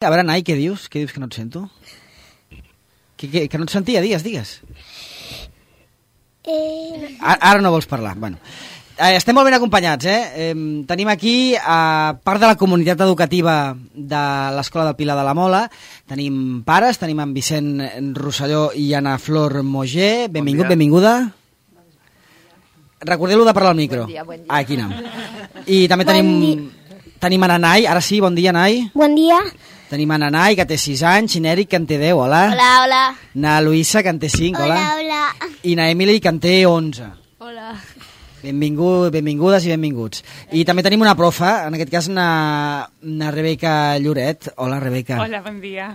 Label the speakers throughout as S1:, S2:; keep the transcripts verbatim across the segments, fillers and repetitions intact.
S1: A veure, Nai, què dius? Què dius que no et sento? Que, que, que no et sentia? Digues, digues.
S2: Eh...
S1: Ara, ara no vols parlar. Bueno, eh, estem molt ben acompanyats, eh? eh? Tenim aquí, a part de la comunitat educativa de l'Escola del Pilar de la Mola, tenim pares, tenim en Vicent Rosselló i Ana Flor Moger. Benvingut, bon benvinguda. Recordeu-lo de parlar al micro.
S3: Bon dia, bon dia.
S1: Ah, aquí anem. I també bon tenim, tenim a Nanai. Ara sí, bon dia, Nai.
S2: Bon dia.
S1: Tenim a Nanai, que té sis anys, i n'Eric, que en té deu, hola.
S2: Hola, hola.
S1: Na Luisa, que en té cinc, hola.
S2: Hola, hola.
S1: I na Emily, que en té onze.
S3: Hola.
S1: Benvingut, benvingudes i benvinguts. I també tenim una profa, en aquest cas na, na Rebeca Lloret. Hola, Rebeca.
S4: Hola, bon dia.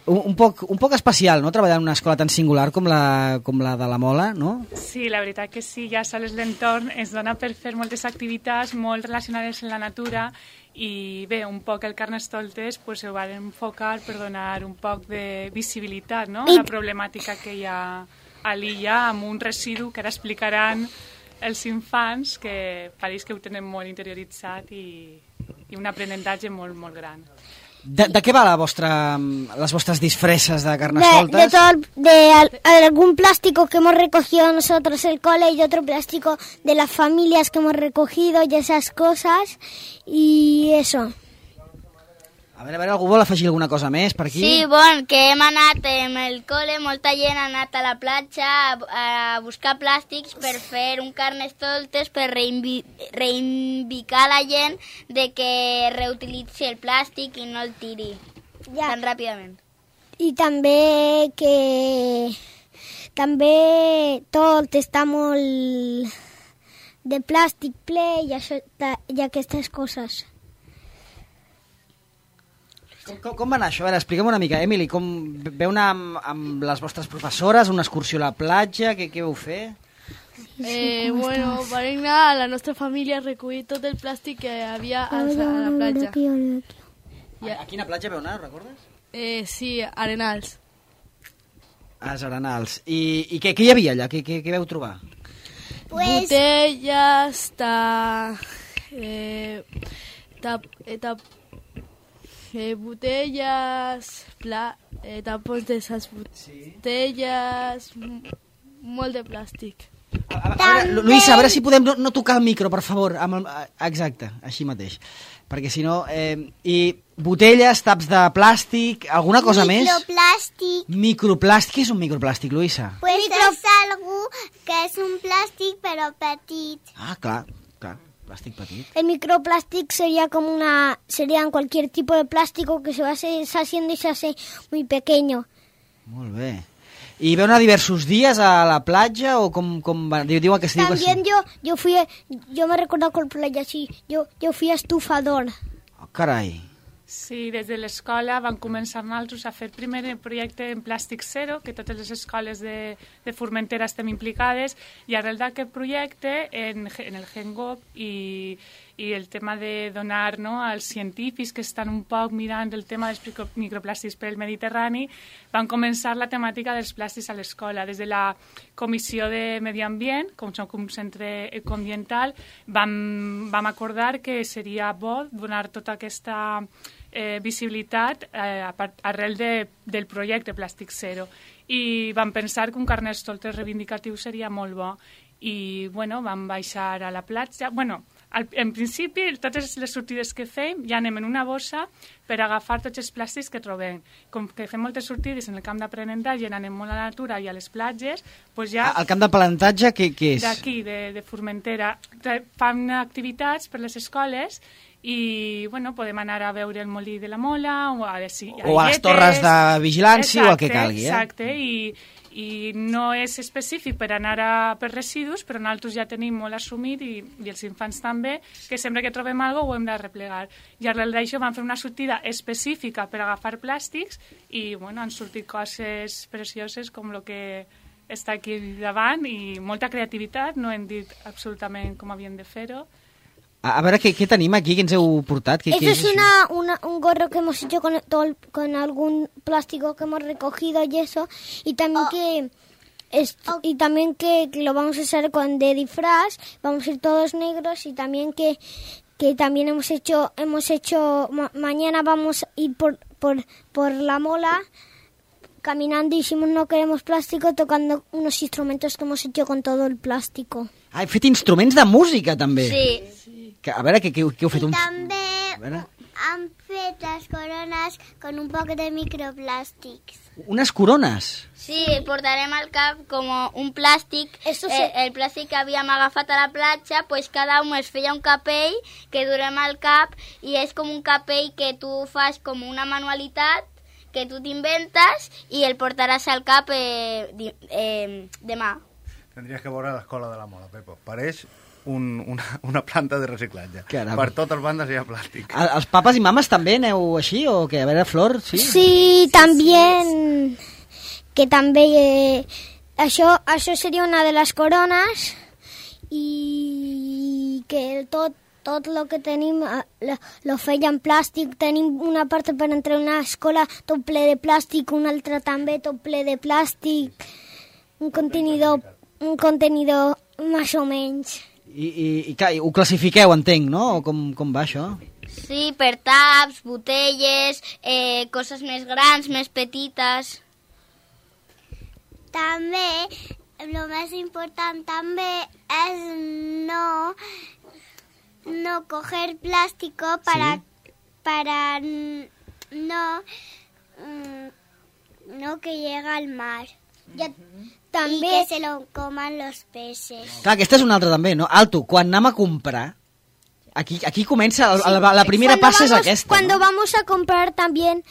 S1: Un, un, poc, un poc especial, no?, treballar en una escola tan singular com la, com la de la Mola, no?
S4: Sí, la veritat que sí, ja sols l'entorn es dona per fer moltes activitats molt relacionades amb la natura i bé, un poc el Carnestoltes pues, ho va enfocar per donar un poc de visibilitat, no?, a la problemàtica que hi ha a l'illa amb un residu que ara explicaran els infants, que pareix que ho tenen molt interioritzat i, i un aprenentatge molt, molt gran.
S1: De, de què va la vostra, les vostres disfresses de
S2: De,
S1: Carnestoltes?
S2: de todo, de al- algún plástico que hemos recogido nosotros el cole y otro plástico de las familias que hemos recogido y esas cosas y eso.
S1: A veure, a veure, algú vol afegir alguna cosa més per aquí?
S5: Sí, bon, que hem anat amb el col·le, molta gent ha anat a la platja a, a buscar plàstics per fer un carnestoltes, per reinvi, reivindicar a la gent de que reutilitzi el plàstic i no el tiri
S2: Ja.
S5: tan ràpidament.
S2: I també que també tot està molt de plàstic ple i, això, i aquestes coses.
S1: Com, com, com va anar això? A veure, expliquem una mica. Emily, com veu anar amb, amb les vostres professores, una excursió a la platja, què, què vau fer?
S3: Eh, bueno, vam anar a la nostra família a recollir tot el plàstic que hi havia a, a la platja.
S1: A, a quina platja veu anar, recordes?
S3: Eh, sí, Arenals.
S1: A les Arenals. I, i què, què hi havia allà? Què, què, què veu trobar?
S2: Pues,
S3: Botelles, ta... Eh, tap, eh, tap, eh, botelles, pla, eh, tapons de esas botelles, m- molt de plàstic.
S1: A, a, a veure, Lu- Luisa, a veure si podem no, no tocar el micro, per favor. Amb el, a- exacte, així mateix. Perquè si no... Eh, I botelles, taps de plàstic, alguna cosa més?
S6: Microplàstic,
S1: Microplàstic. Què és un microplàstic, Luisa?
S6: pues és algú que és un plàstic però petit.
S1: Ah, clar, clar, plàstic petit.
S2: el microplástic sería como una, serían cualquier tipo de plástico que se va haciendo y se hace muy pequeño.
S1: Molt bé. I veu anar diversos dies a la platja o com, com va? Diu, diuen que es diu que sí.
S2: También yo, yo fui, yo me recuerdo con playa así, yo, yo fui estufador.
S1: Oh, carai.
S4: Sí, des de l'escola van començar nosaltres a fer primer el projecte en plàstic zero, que totes les escoles de, de Formentera estem implicades, i arrel d'aquest projecte, en, en el GenGov i, i el tema de donar, no, als científics que estan un poc mirant el tema dels micro- microplàstics per el Mediterrani, van començar la temàtica dels plàstics a l'escola. Des de la Comissió de Medi Ambient, com som un centre ecoambiental, vam, vam acordar que seria bo donar tota aquesta eh, visibilitat eh, a part, arrel de, del projecte Plàstic Zero. I vam pensar que un carnestoltes reivindicatiu seria molt bo. I, bueno, vam baixar a la platja. Bueno, al, en principi, totes les sortides que fem ja anem en una bossa per agafar tots els plàstics que trobem. Com que fem moltes sortides en el camp d'aprenentatge, anem molt a la natura i a les platges, doncs ja...
S1: El camp de palantatge, què, què és?
S4: D'aquí, de, de Formentera. Tra- Fan activitats per les escoles i, bueno, podem anar a veure el molí de la Mola o a, les,
S1: O a les torres de vigilància o el que calgui, eh?
S4: Exacte, i, i no és específic per anar a, per residus, però nosaltres ja tenim molt assumit i, i els infants també, que sempre que trobem alguna cosa ho hem de replegar. I arrel d'això vam fer una sortida específica per agafar plàstics i, bueno, han sortit coses precioses com el que està aquí davant i molta creativitat, no hem dit absolutament com havien de fer-ho.
S1: A, a veure, què, què tenim aquí? Què ens heu portat? Què,
S2: Eso
S1: què
S2: es una, una, un gorro que hemos hecho con, todo el- con algún plástico que hemos recogido y eso, y también
S6: Oh.
S2: que es- y también que, que lo vamos a usar con de disfraz, vamos a ir todos negros y también que que también hemos hecho hemos hecho ma- mañana vamos a ir por por, por la mola, caminando, y dijimos no queremos plástico, tocando unos instrumentos que hemos hecho con todo el plástico.
S1: Ah, he fet instruments de música, també.
S5: Sí.
S1: Que, a veure, què, què, què heu fet?
S6: I
S1: Un...
S6: també han fet les corones con un poc de microplàstics.
S1: Unes corones.
S5: Sí, portarem al cap com un plàstic,
S2: Eso
S5: eh,
S2: sí.
S5: el plàstic que havíem agafat a la platja, pues cada un es feia un capell que durem al cap i és com un capell que tu fas com una manualitat que tu t'inventes i el portaràs al cap eh, di, eh, demà.
S7: Tendries que veure l'escola de la Mola, Pepo. Pareix un, una, una planta de reciclatge.
S1: Caram.
S7: Per totes bandes hi ha plàstic.
S1: El, els papes i mames també aneu així o què? A veure, Flor, sí?
S2: Sí, también, que també, eh, això, això seria una de les corones, i que tot, tot el que tenim eh, lo, lo feia en plàstic. Tenim una part per entrar a una escola tot ple de plàstic, una altra també tot ple de plàstic, un contenidor, un contenidor més o menys.
S1: I, i, i clar, ho classifiqueu, entenc, no? O com, com va això?
S5: Sí, per taps, botelles, eh, coses més grans, més petites.
S6: També, el més important també és no, no coger plástico para,
S1: Sí.
S6: para no, mm, no que llegue al mar.
S2: Ja,
S6: Y
S2: també,
S6: que se lo coman los peces.
S1: Clar, aquesta és una altra també, no? Alto, quan anem a comprar, aquí, aquí comença, el, la, la primera
S2: cuando
S1: passa és
S2: vamos-
S1: aquesta,
S2: Cuando
S1: no?
S2: vamos a comprar también,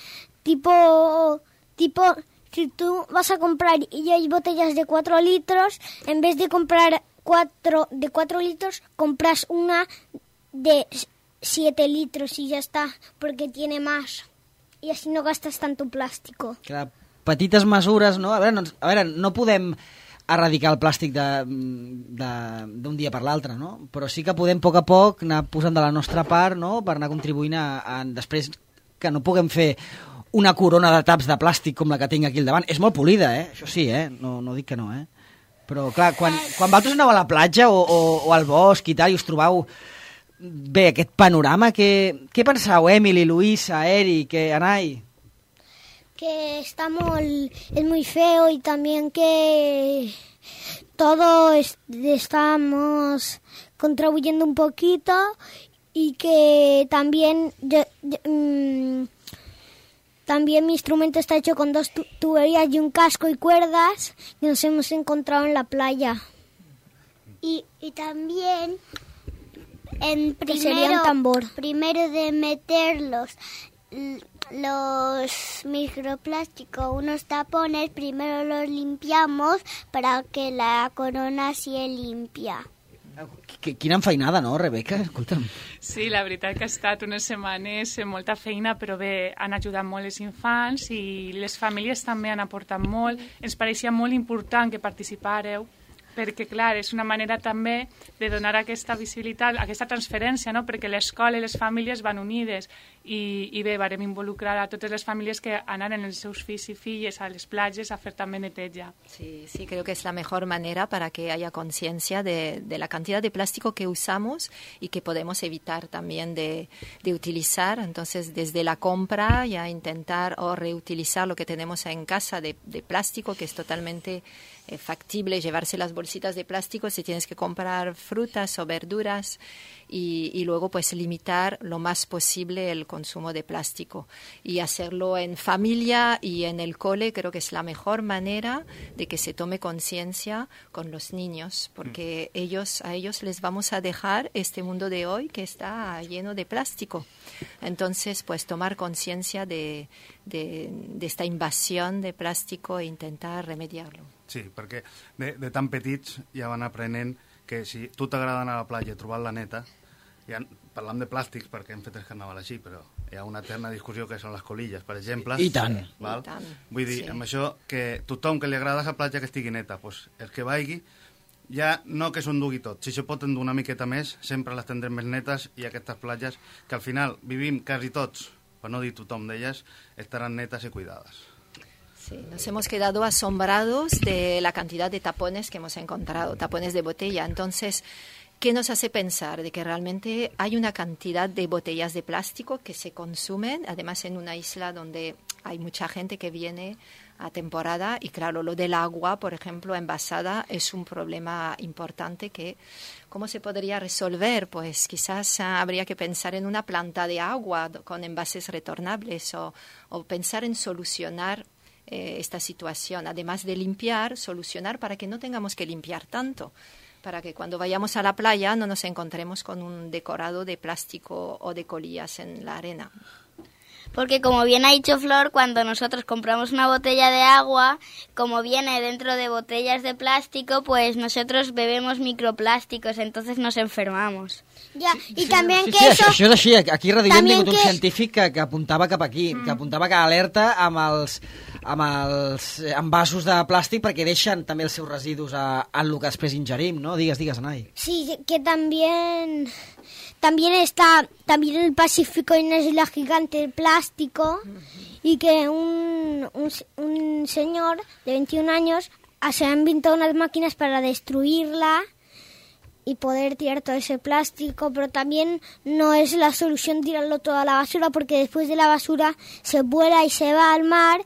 S2: tipo, tipo, si tú vas a comprar y hay botellas de cuatro litros, en vez de comprar cuatro de cuatro litros, compras una de siete litros y ya está, porque tiene más. Y así no gastas tanto plástico.
S1: Clar, petites mesures, no? A veure, no, a veure, no podem erradicar el plàstic de- de- d'un dia per l'altre, no? Però sí que podem a poc a poc anar posant de la nostra part, no?, per anar contribuint a, a després que no puguem fer una corona de taps de plàstic com la que tinc aquí al davant. És molt polida, eh? Això sí, eh? No, no dic que no, eh? Però, clar, quan, quan vosaltres aneu a la platja o, o, o al bosc i tal i us trobeu bé aquest panorama, què, què penseu, Emily, Luisa, Eric, eh, Anai?
S2: Que está muy, es muy feo, y también que todo es- estamos contribuyendo un poquito, y que también yo- yo, mm, también mi instrumento está hecho con dos tu- tuberías y un casco y cuerdas que nos hemos encontrado en la playa.
S6: Y, y también, en
S2: Que sería un
S6: primero,
S2: tambor.
S6: primero de meterlos l- los microplásticos, unos tapones, primero los limpiamos para que la corona sea limpia.
S1: Qu- Quina enfeinada, no, Rebeca? Escolta'm.
S4: Sí, la veritat que ha estat unes setmanes amb molta feina, però bé, han ajudat molt els infants i les famílies també han aportat molt. Ens pareixia molt important que participàreu, perquè, clar, és una manera també de donar aquesta visibilitat, aquesta transferència, no?, perquè l'escola i les famílies van unides i, i bé, varem involucrar a totes les famílies que anaren els seus fills i filles a les platges a fer també neteja.
S8: Sí, sí, creo que es la mejor manera para que haya conciencia de, de la cantidad de plástico que usamos y que podemos evitar también de, de utilizar. Entonces, desde la compra ya intentar o reutilizar lo que tenemos en casa de, de plástico, que es totalmente eh, factible llevarse las bolsitas de plástico si tienes que comprar frutas o verduras, y, y luego pues limitar lo más posible el consumo de plástico y hacerlo en familia y en el cole. Creo que es la mejor manera de que se tome conciencia con los niños, porque ellos, a ellos les vamos a dejar este mundo de hoy que está lleno de plástico. Entonces, pues tomar conciencia de, de, de esta invasión de plástico e intentar remediarlo.
S7: Sí, perquè de, de tan petits ja van aprenent que si tu t'agrada anar a la platja i trobar-la neta, ja parlam de plàstics perquè hem fet el carnaval així, però hi ha una eterna discussió que són les colilles, per exemple.
S1: I tant.
S7: Val?
S8: I tant,
S7: Vull dir,
S8: sí.
S7: amb això, que tothom que li agrada la platja que estigui neta, doncs el que vagi, ja no que s'ho endugui tot. Si se pot endur una miqueta més, sempre les tindrem més netes, i aquestes platges, que al final vivim quasi tots, per no dir tothom d'elles, estaran netes i cuidades.
S8: Sí, nos hemos quedado asombrados de la cantidad de tapones que hemos encontrado, tapones de botella. Entonces, ¿Qué nos hace pensar de que realmente hay una cantidad de botellas de plástico que se consumen, además en una isla donde hay mucha gente que viene a temporada y claro, lo del agua, por ejemplo, envasada es un problema importante que ¿cómo se podría resolver? Pues quizás uh, habría que pensar en una planta de agua con envases retornables o, o pensar en solucionar eh, esta situación, además de limpiar, solucionar para que no tengamos que limpiar tanto, para que cuando vayamos a la playa no nos encontremos con un decorado de plástico o de colillas en la arena.
S5: Porque como bien ha dicho Flor, cuando nosotros compramos una botella de agua, como viene dentro de botellas de plástico, pues nosotros bebemos microplásticos, entonces nos enfermamos.
S2: Ja, i
S1: Sí,
S2: també
S1: sí,
S2: que
S1: sí,
S2: eso...
S1: això, això és així. Aquí a Radioll hem
S2: També
S1: tingut un
S2: que-
S1: científic que, que apuntava cap aquí, mm. que apuntava que alerta amb els, amb els envasos de plàstic perquè deixen també els seus residus a, en el que després ingerim, no? Digues, digues, Anai.
S2: Sí, que también, también está, también en el Pacífico hay una isla gigante de plástico y que un, un, un señor de veintiún años se ha inventado unas máquinas para destruirla y poder tirar todo ese plástico, pero también no es la solución tirarlo todo a la basura porque después de la basura se vuela y se va al mar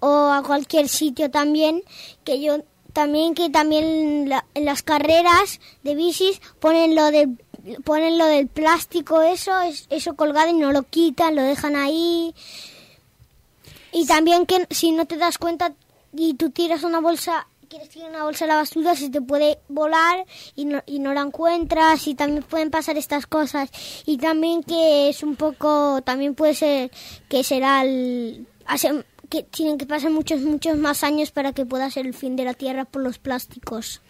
S2: o a cualquier sitio también, que yo también que también la- en las carreras de bicis ponen lo de ponen lo del plástico eso es- eso colgado y no lo quitan, lo dejan ahí. Y también que si no te das cuenta y tú tiras una bolsa, quieres tirar una bolsa a la basura, se te puede volar y no, y no la encuentras y también pueden pasar estas cosas. Y también que es un poco, también puede ser que será el... hace- que tienen que pasar muchos, muchos más años para que pueda ser el fin de la Tierra por los plásticos.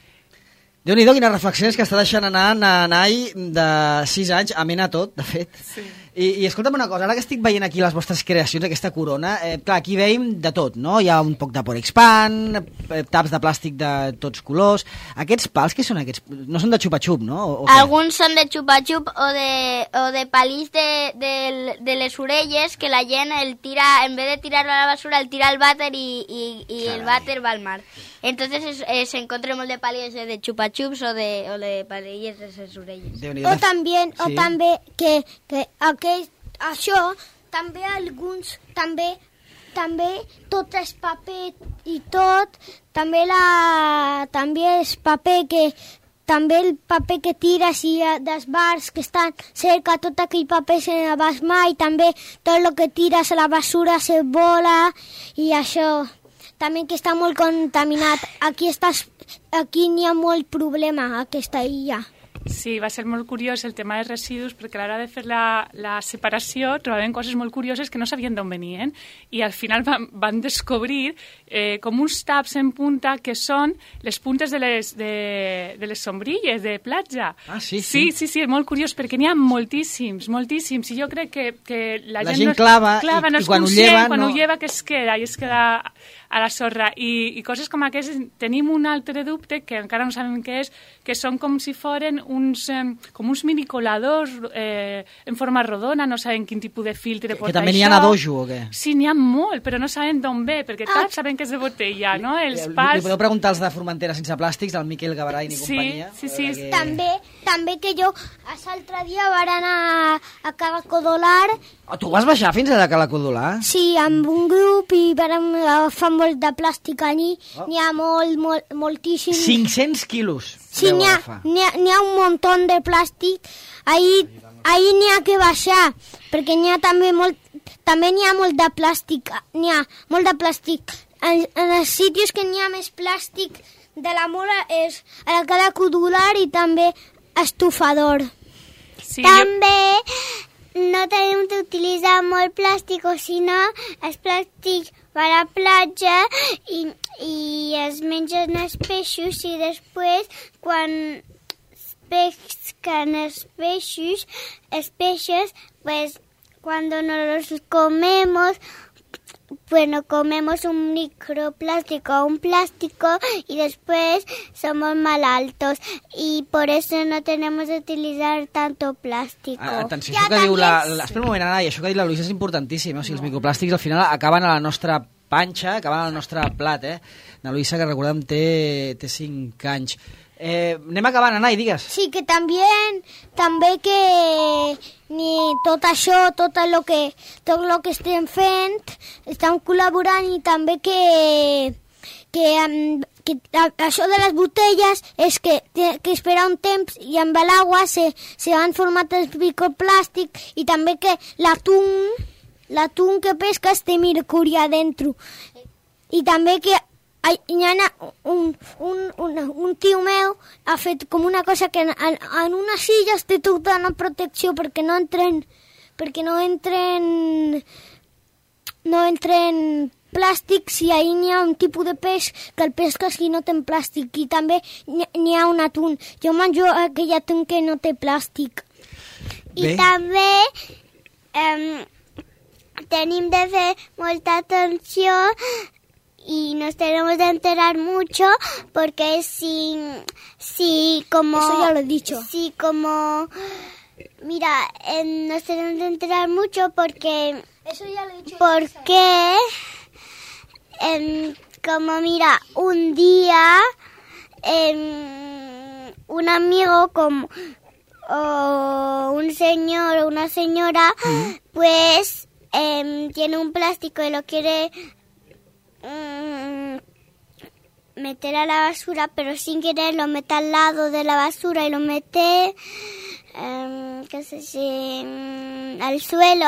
S1: Déu-n'hi-do, quines reflexions que està deixant anar na Anai de sis anys, amena tot, de fet.
S4: Sí.
S1: I, I escolta'm una cosa, ara que estic veient aquí les vostres creacions, aquesta corona, eh, clar, aquí veiem de tot, no? Hi ha un poc de Porexpan, eh, taps de plàstic de tots colors. Aquests pals, què són aquests? No són de xupa-xup, no? O, o què?
S5: Alguns són de xupa-xup o de, o de palís de, de, de les orelles que la gent el tira, en vez de tirarlo a la basura, el tira al vàter i, i, i el vàter va al mar. Entonces es, es encontré molt de palillos de xupa-xups o de, o de palilles de les orelles.
S1: Déu-n'hi-do.
S2: O també, o
S1: Sí.
S2: també que, que aquest, això, també alguns, també, també tot és paper i tot, també, la, també és paper que, també el paper que tires i eh, dels bars que estan cerca, tot aquell paper se no vas mai, també tot el que tires a la basura se vola i això, també que està molt contaminat. Aquí, estàs, aquí n'hi ha molt problema, aquesta illa.
S4: Sí, va ser molt curiós el tema dels residus perquè a l'hora de fer la, la separació trobàvem coses molt curioses que no sabien d'on venien i al final van, van descobrir eh, com uns taps en punta que són les puntes de les, de, de les sombrilles de platja.
S1: Ah, sí,
S4: sí.
S1: sí.
S4: Sí, sí, és molt curiós perquè n'hi ha moltíssims, moltíssims i jo crec que, que la,
S1: La
S4: gent,
S1: gent
S4: no és,
S1: clava
S4: clava
S1: i-
S4: no
S1: i
S4: és
S1: quan ho
S4: conscient,
S1: lleva,
S4: quan
S1: no-
S4: ho lleva que es queda i es queda a la sorra i, i coses com aquestes tenim un altre dubte que encara no sabem què és, que són com si foren uns, eh, com uns minicoladors eh, en forma rodona, no sabem quin tipus de filtre
S1: Que,
S4: porta
S1: que també n'hi
S4: això.
S1: ha a dojo, o què?
S4: Sí, n'hi ha molt, però no sabem d'on ve, perquè tots sabem que és de botella, no? Els
S1: Li, li
S4: pals...
S1: podeu preguntar als de Formentera sense plàstics, al Miquel Gabaray i
S4: Sí,
S1: companyia.
S4: sí,
S1: a
S4: sí.
S1: veure què-
S2: També, també que jo l'altre dia van anar a Calacodolar,
S1: Oh, tu vas baixar fins a la Calacodolar?
S2: sí, amb un grup i vam agafar molt de plàstic allí,
S1: Oh.
S2: n'hi ha molt, molt, moltíssim.
S1: cinc-cents quilos.
S2: Sí,
S1: vau
S2: n'hi ha,
S1: agafar.
S2: n'hi ha, n'hi ha un muntó de plàstic, ahí, ahí n'hi ha que baixar, perquè n'hi ha també molt, també n'hi ha molt de plàstic, n'hi ha molt de plàstic. En, en els sítios que n'hi ha més plàstic de la mola és a la Calacodolar i també estufador.
S4: Sí, jo...
S6: També no tenim d'utilitzar molt plàstic, o si no, el plàstic va a la platja i, i es mengen els peixos i després, quan pesquen els peixos, els peixos, pues, cuando nos los comemos, bueno, comemos un microplástico o un plástico y después somos mal altos y por eso no tenemos que utilizar tanto plástico.
S1: Ah, atenció, això que diu la, la... Espera un moment, Anna, i això que ha dit la Luisa és importantíssim. Eh? O sigui, els microplàstics al final acaben a la nostra panxa, acaben al nostre plat, eh? La Luisa, que recordem, té, té cinc anys. Eh, anem acabant, Anai, digues.
S2: Sí, que també, també que ni tot això, tot el que, tot el que estem fent, estem col·laborant i també que, que, que això de les botelles és que té que esperar un temps i amb l'aigua se, se van formant els microplàstic i també que l'atún, l'atún que pesques té mercuri adentro. I també que hi ha un, un, un, un tio meu ha fet com una cosa que en, en unes silles té tota una protecció perquè no entren perquè no entren no entren plàstics i ahir n'hi ha un tipus de peix que el pesques i no té plàstic i també n'hi ha un atún. Jo menjo aquell atún que no té plàstic.
S6: I també eh, tenim de fer molta atenció y nos tenemos de enterar mucho porque si, si como...
S2: Eso ya lo he dicho.
S6: Si como... Mira, eh, nos tenemos de enterar mucho porque...
S2: Eso ya lo he dicho.
S6: Porque... Eh, como mira, un día... Eh, un amigo como... o un señor o una señora, mm. pues eh, tiene un plástico y lo quiere... meter a la basura, pero sin querer lo mete al lado de la basura y lo mete um, qué sé si, um, al suelo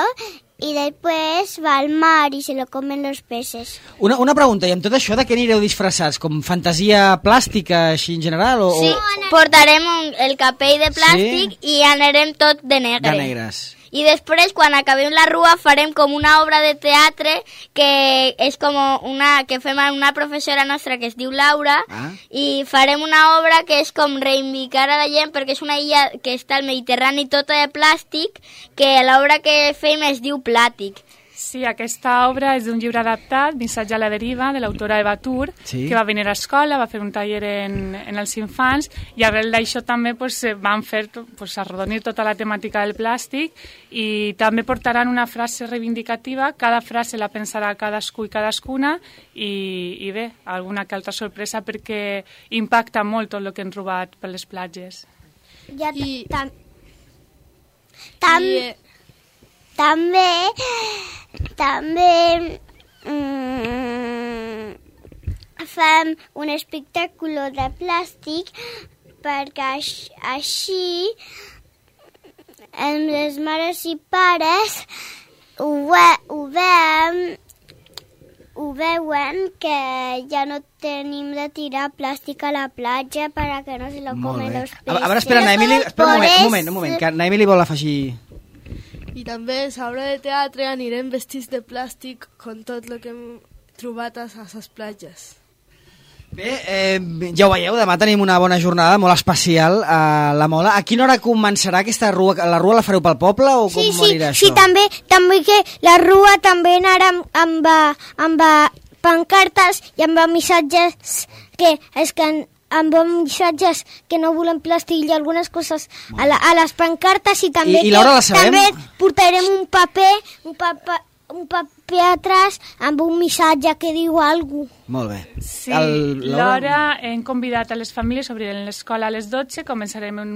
S6: y después va al mar y se lo comen los peces.
S1: Una, una pregunta, i amb tot això de què anireu disfressats? Com fantasia plàstica així en general? O,
S5: sí,
S1: o...
S5: portarem un, el capell de plàstic sí? I anirem tot de negre.
S1: De negres.
S5: I després, quan acabem la rua, farem com una obra de teatre que és com una que fem amb una professora nostra que es diu Laura ah. i farem una obra que és com reivindicar a la gent perquè és una illa que està al Mediterrani tota de plàstic que l'obra que fem es diu Plàtic.
S4: Sí, aquesta obra és d'un llibre adaptat, Missatge a la deriva, de l'autora Eva Tur, sí. que va venir a escola, va fer un taller en, en els infants, i arrel d'això també pues, van fer pues, arrodonir tota la temàtica del plàstic i també portaran una frase reivindicativa, cada frase la pensarà cadascú i cadascuna, i, i bé, alguna que altra sorpresa perquè impacta molt tot el que han robat per les platges.
S2: Ja, I... Tam...
S6: Tam... I... També... També mm, fem un espectacle de plàstic perquè així les mares i pares ho, ve, ho, veuen, ho veuen que ja no tenim de tirar plàstic a la platja perquè no se lo comen los peces.
S1: A veure, espera, Naemili, espera un moment, un moment, un moment, que Naemili vol afegir...
S3: I també a l'obra de teatre anirem vestits de plàstic com tot el que hem trobat a les platges.
S1: Bé, eh, ja ho veieu, demà tenim una bona jornada molt especial a la Mola. A quina hora començarà aquesta rua? La rua la fareu pel poble o com
S2: sí, sí,
S1: anirà això?
S2: Sí, també, també que la rua també anarà amb, amb, amb pancartes i amb missatges que és que amb missatges que no volem plàstic i algunes coses a, la, a les pancartes i també,
S1: I, i l'hora la sabem?
S2: També portarem un paper, un paper, un paper atrás amb un missatge que diu alguna cosa.
S1: Molt bé.
S4: Sí, l'hora hem convidat a les famílies, obrirem l'escola a les dotze, començarem un,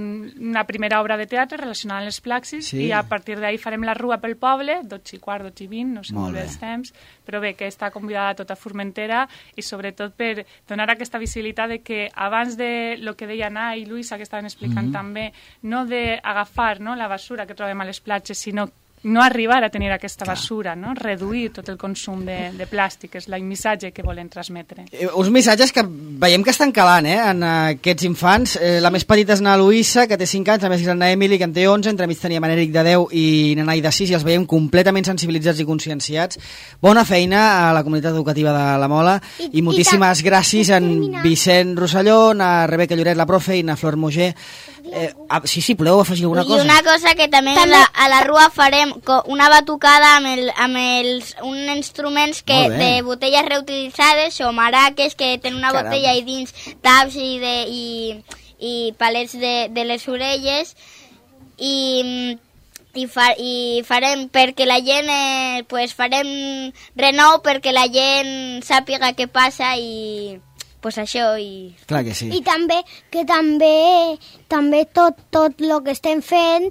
S4: una primera obra de teatre relacionada amb les plaxis sí. i a partir d'ahir farem la rua pel poble, dotze i quart, dotze i vint, no sé molt, molt bé els temps, però bé, que està convidada tota Formentera i sobretot per donar aquesta visibilitat de que abans de lo que deia Ana i Luisa, que estaven explicant mm-hmm. també, no d'agafar no, la basura que trobem a les platges, sinó no arribar a tenir aquesta basura, no? Reduir tot el consum de, de plàstic, és el missatge que volen transmetre.
S1: Eh, uns missatges que veiem que estan calant, eh, en aquests infants. Eh, la més petita és na Luisa, que té cinc anys, la més gran na Emily, que en té onze, entremig teníem en Eric de deu i na Nai de sis, i els veiem completament sensibilitzats i conscienciats. Bona feina a la comunitat educativa de la Mola, i, i moltíssimes i gràcies a en Vicent Rosselló, a Rebeca Lloret, la profe, i a Flor Moger. Eh, ah, sí, sí, podeu afegir alguna cosa?
S5: I una cosa que també, també... La, a la rua farem una batucada amb, el, amb els, uns instruments que, de botelles reutilitzades o maraques que tenen una Caramba. Botella i dins taps i, de, i, i palets de, de les orelles i, i, fa, i farem perquè la gent eh, pues farem renou perquè la gent sàpiga què passa i pues això i...
S1: Clar que sí.
S2: I també que també també tot tot lo que estem fent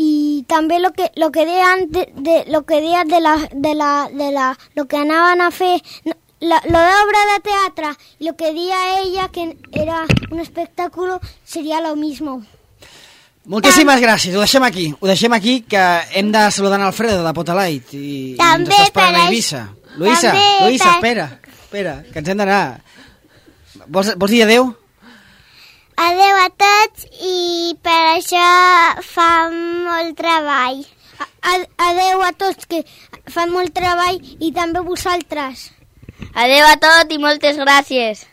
S2: i també lo que lo que deien de, de lo que deien de la de la de la lo que anaven a fer la, lo de obra de teatre y lo que decía ella que era un espectáculo sería lo mismo.
S1: Moltíssimes gràcies, ho deixem aquí, ho deixem aquí, que hem de saludar en Alfredo de Potalight i, i ens està esperant a Eivissa. Luisa, Luisa, espera, espera, que ens hem d'anar. Vols, vols dir adeu?
S6: Adeu a tots i per això fa molt treball.
S2: Adeu a tots, que fan molt treball i també vosaltres.
S5: Adeu a tot i moltes gràcies.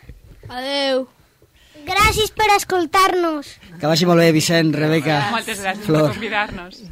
S3: Adeu.
S2: Gràcies per escoltar-nos.
S1: Que vagi molt bé, Vicent, Rebeca,
S4: Moltes gràcies
S1: Flor.
S4: per convidar-nos.